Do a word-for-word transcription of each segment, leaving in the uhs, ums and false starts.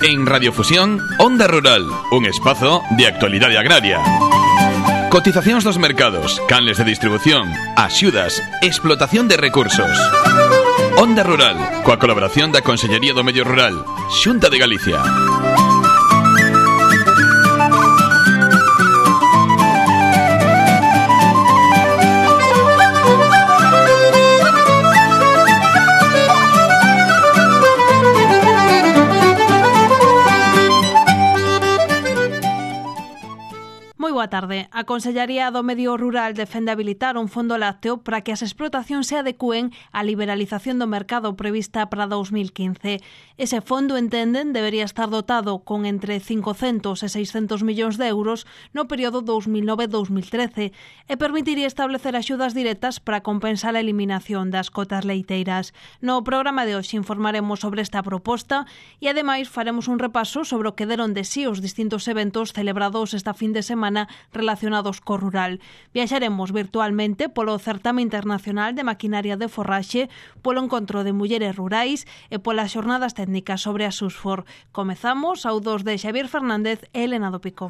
En Radiofusión, Onda Rural, un espazo de actualidade agraria. Cotizacións dos mercados, canles de distribución, axudas, explotación de recursos. Onda Rural, coa colaboración da Consellería do Medio Rural, Xunta de Galicia. Boa tarde. A Consellería do Medio Rural defende habilitar un fondo lácteo para que as explotacións se adecúen á liberalización do mercado prevista para dos mil quince. Ese fondo, entenden, debería estar dotado con entre cincocentos e seiscentos millóns de euros no período dos mil nove a dos mil trece e permitiría establecer axudas directas para compensar a eliminación das cotas leiteiras. No programa de hoxe informaremos sobre esta proposta e, ademais, faremos un repaso sobre o que deron de sí os distintos eventos celebrados esta fin de semana relacionados co rural. Viaxaremos virtualmente polo Certame Internacional de Maquinaria de Forraxe, polo Encontro de Mulleres Rurais e polas xornadas técnicas sobre a SUSFOR. Comezamos ao dos de Xavier Fernández e Elena do Pico.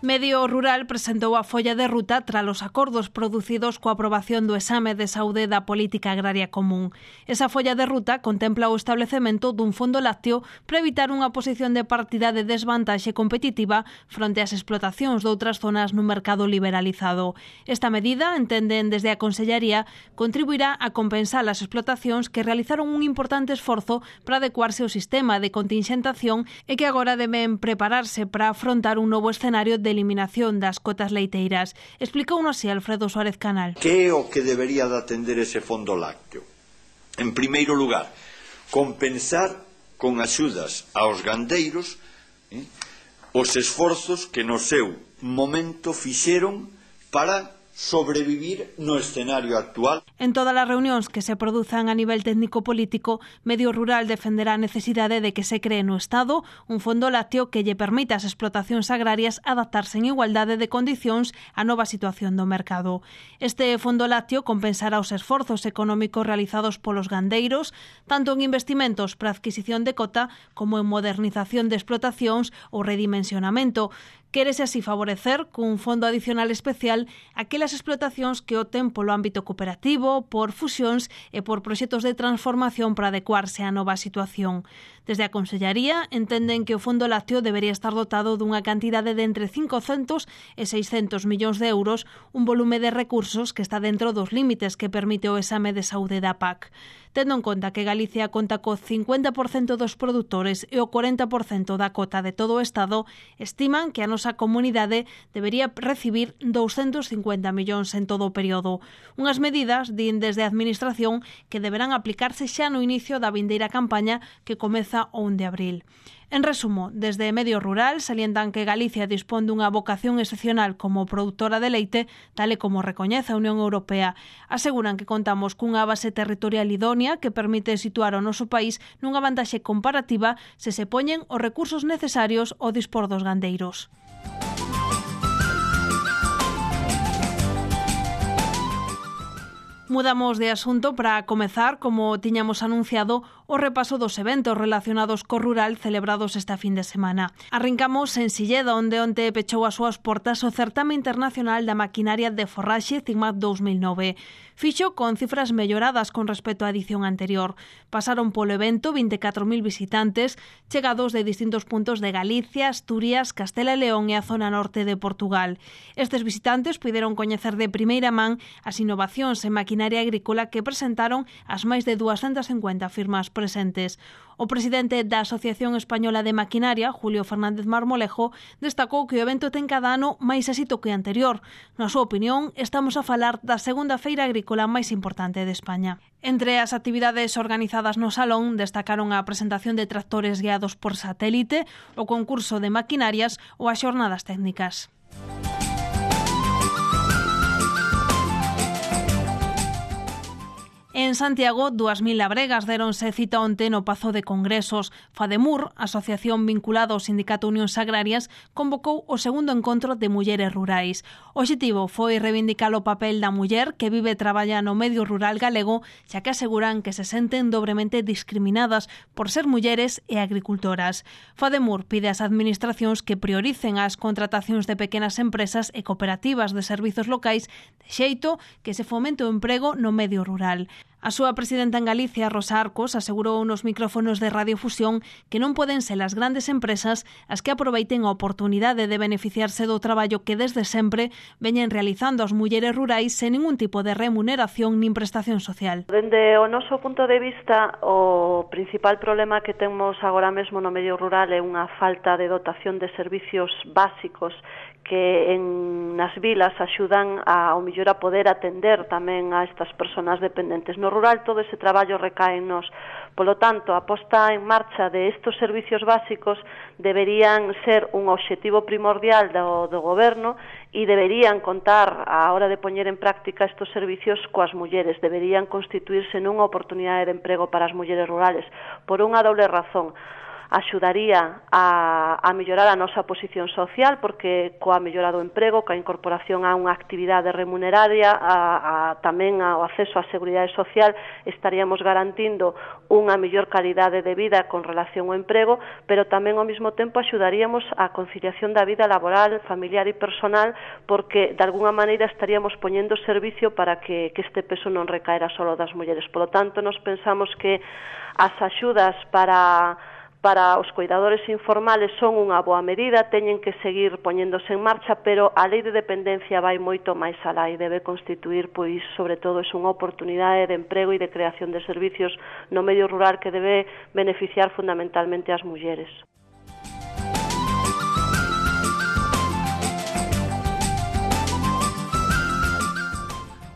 Medio Rural presentou a folla de ruta tras os acordos producidos coa aprobación do exame de saúde da Política Agraria Común. Esa folla de ruta contempla o establecemento dun fondo lácteo para evitar unha posición de partida de desvantaxe competitiva fronte ás explotacións doutras zonas no mercado liberalizado. Esta medida, entenden desde a Consellería, contribuirá a compensar as explotacións que realizaron un importante esforzo para adecuarse ao sistema de continxentación e que agora deben prepararse para afrontar un novo escenario de eliminación das cotas leiteiras. Explicouno así Alfredo Suárez Canal. Que é o que debería de atender ese fondo lácteo? En primeiro lugar, compensar con axudas aos gandeiros eh, os esforzos que no seu momento fixeron para sobrevivir no escenario actual. En todas as reunións que se produzan a nivel técnico-político, Medio Rural defenderá a necesidade de que se cree no Estado un fondo lácteo que lle permita ás explotacións agrarias adaptarse en igualdade de condicións á nova situación do mercado. Este fondo lácteo compensará os esforzos económicos realizados polos gandeiros, tanto en investimentos para adquisición de cota como en modernización de explotacións ou redimensionamento. Quérese así favorecer cun fondo adicional especial aquelas explotacións que opten polo ámbito cooperativo, por fusións e por proxectos de transformación para adecuarse á nova situación. Desde a Consellería entenden que o fondo lácteo debería estar dotado dunha cantidade de entre cincocentos e seiscentos millóns de euros, un volume de recursos que está dentro dos límites que permite o exame de saúde da P A C. Tendo en conta que Galicia conta co cincuenta por cento dos produtores e o cuarenta por cento da cota de todo o Estado, estiman que a nosa comunidade debería recibir douscentos cincuenta millóns en todo o período. Unhas medidas, din desde a Administración, que deberán aplicarse xa no inicio da vindeira campaña que comeza o un de abril. En resumo, desde Medio Rural salientan que Galicia dispón dunha vocación excepcional como produtora de leite, tal e como recoñece a Unión Europea. Aseguran que contamos cunha base territorial idónea que permite situar o noso país nunha vantaxe comparativa se se poñen os recursos necesarios ao dispor dos gandeiros. Mudamos de asunto para comezar, como tiñamos anunciado, o repaso dos eventos relacionados co rural celebrados esta fin de semana. Arrincamos en Silleda, onde onte pechou as súas portas o Certame Internacional da Maquinaria de Forraxe CIMAC dos mil nove. Fixo con cifras melloradas con respecto á edición anterior. Pasaron polo evento vinte e catro mil visitantes chegados de distintos puntos de Galicia, Asturias, Castela e León e a zona norte de Portugal. Estes visitantes puideron coñecer de primeira man as innovacións en maquinaria agrícola que presentaron as máis de duascentas cincuenta firmas presentes. O presidente da Asociación Española de Maquinaria, Julio Fernández Marmolejo, destacou que o evento ten cada ano máis éxito que o anterior. Na súa opinión, estamos a falar da segunda feira agrícola máis importante de España. Entre as actividades organizadas no salón destacaron a presentación de tractores guiados por satélite, o concurso de maquinarias ou as xornadas técnicas. En En Santiago, dúas mil labregas deronse cita onte no Pazo de Congresos. Fademur, asociación vinculada ao Sindicato Unións Agrarias, convocou o segundo encontro de mulleres rurais. O obxectivo foi reivindicar o papel da muller que vive e traballa no medio rural galego, xa que aseguran que se senten dobremente discriminadas por ser mulleres e agricultoras. Fademur pide ás administracións que prioricen as contratacións de pequenas empresas e cooperativas de servizos locais de xeito que se fomente o emprego no medio rural. A súa presidenta en Galicia, Rosa Arcos, asegurou nos micrófonos de Radiofusión que non poden ser as grandes empresas as que aproveiten a oportunidade de beneficiarse do traballo que desde sempre veñen realizando as mulleres rurais sen ningún tipo de remuneración nin prestación social. Dende o noso punto de vista, o principal problema que temos agora mesmo no medio rural é unha falta de dotación de servicios básicos que en nas vilas axudan a, ao mellor a poder atender tamén a estas persoas dependentes. No rural todo ese traballo recae en nos. Polo tanto, a posta en marcha de estos servicios básicos deberían ser un obxectivo primordial do, do goberno e deberían contar a hora de poñer en práctica estos servicios coas mulleres. Deberían constituirse nunha oportunidade de emprego para as mulleres rurales por unha doble razón. Axudaría a, a mellorar a nosa posición social, porque coa mellora do emprego, coa incorporación a unha actividade remuneraria, a, a, tamén ao acceso á seguridade social, estaríamos garantindo unha mellor calidade de vida con relación ao emprego, pero tamén ao mesmo tempo axudaríamos á conciliación da vida laboral, familiar e personal, porque de alguna maneira estaríamos poñendo servicio para que, que este peso non recaera solo das mulleres. Por lo tanto, nos pensamos que as axudas para para os cuidadores informales son unha boa medida, teñen que seguir poñéndose en marcha, pero a lei de dependencia vai moito máis alá e debe constituir, pois, sobre todo, é unha oportunidade de emprego e de creación de servicios no medio rural que debe beneficiar fundamentalmente as mulleres.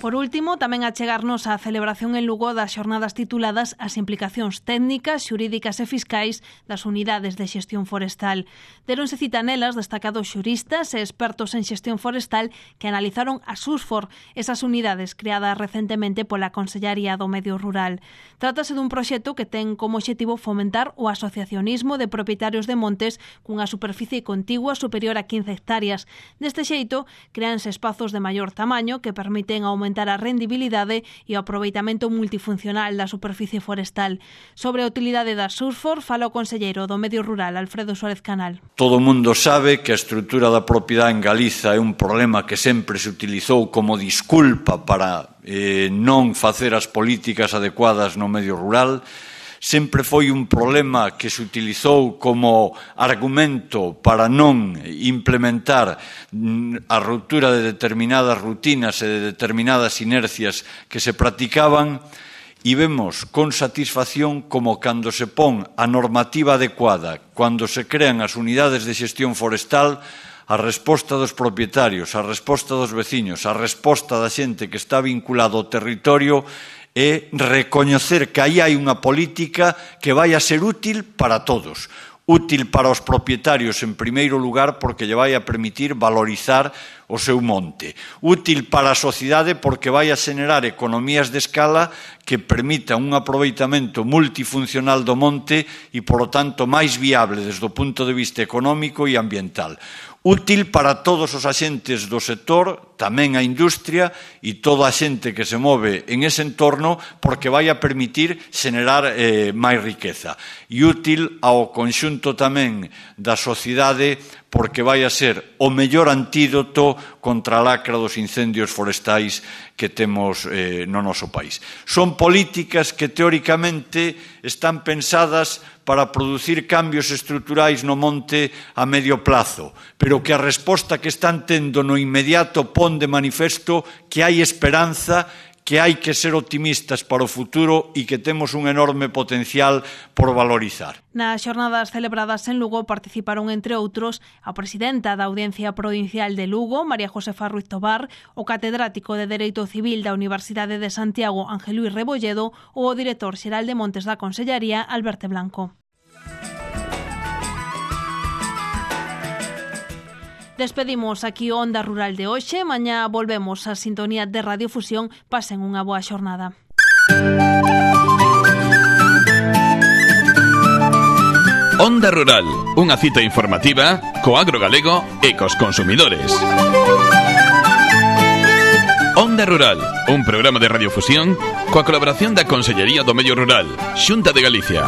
Por último, tamén achegarnos á celebración en Lugo das xornadas tituladas As implicacións técnicas, xurídicas e fiscais das unidades de xestión forestal. Deronse cita nelas destacados xuristas e expertos en xestión forestal que analizaron a SUSFOR, esas unidades creadas recentemente pola Consellaría do Medio Rural. Trátase dun proxecto que ten como obxectivo fomentar o asociacionismo de propietarios de montes cunha superficie contigua superior a quince hectáreas. Deste xeito, créanse espazos de maior tamaño que permiten aumentar a rendibilidade e o aproveitamento multifuncional da superficie forestal. Sobre a utilidade da SUSFOR fala o conselleiro do Medio Rural, Alfredo Suárez Canal. Todo o mundo sabe que a estrutura da propiedade en Galiza é un problema que sempre se utilizou como disculpa para eh, non facer as políticas adecuadas no medio rural. Sempre foi un problema que se utilizou como argumento para non implementar a ruptura de determinadas rutinas e de determinadas inercias que se practicaban, e vemos con satisfacción como cando se pon a normativa adecuada, cando se crean as unidades de xestión forestal, a resposta dos propietarios, a resposta dos veciños, a resposta da xente que está vinculada ao territorio é recoñecer que aí hai unha política que vai a ser útil para todos. Útil para os propietarios en primeiro lugar porque lle vai a permitir valorizar o seu monte. Útil para a sociedade porque vai a xenerar economías de escala que permitan un aproveitamento multifuncional do monte e, polo tanto, máis viable desde o punto de vista económico e ambiental. Útil para todos os axentes do sector, tamén a industria e toda a xente que se move en ese entorno porque vai a permitir xenerar eh, máis riqueza. E útil ao conxunto tamén da sociedade porque vai a ser o mellor antídoto contra a lacra dos incendios forestais que temos eh, no noso país. Son políticas que teóricamente están pensadas para producir cambios estruturais no monte a medio plazo, pero que a resposta que están tendo no inmediato pon de manifesto que hai esperanza, que hai que ser optimistas para o futuro e que temos un enorme potencial por valorizar. Nas xornadas celebradas en Lugo participaron, entre outros, a presidenta da Audiencia Provincial de Lugo, María Josefa Ruiz Tobar, o catedrático de Dereito Civil da Universidade de Santiago, Ángel Luis Rebolledo, ou o director xeral de Montes da Consellaría, Alberto Blanco. Despedimos aquí o Onda Rural de hoxe. Mañá volvemos á sintonía de Radiofusión. Pasen unha boa xornada. Onda Rural, unha cita informativa co agro galego e cos consumidores. Onda Rural, un programa de radiofusión coa colaboración da Consellería do Medio Rural, Xunta de Galicia.